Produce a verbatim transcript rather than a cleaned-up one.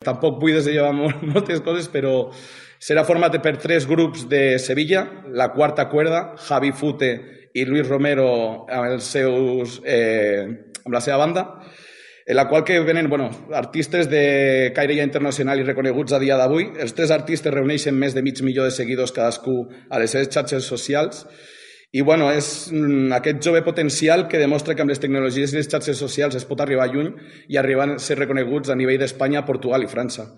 Tampoc vull desenvolupar moltes coses, però serà format per tres grups de Sevilla, la quarta cuerda, Javi Fute i Luis Romero amb, els seus, eh, amb la seva banda, en la qual que venen bueno, artistes de caire ja internacional i reconeguts a dia d'avui. Els tres artistes reuneixen més de mig milió de seguidors cadascú a les seves xarxes socials i bueno, és aquest jove potencial que demostra que amb les tecnologies i les xarxes socials es pot arribar lluny i arribar a ser reconeguts a nivell d'Espanya, Portugal i França.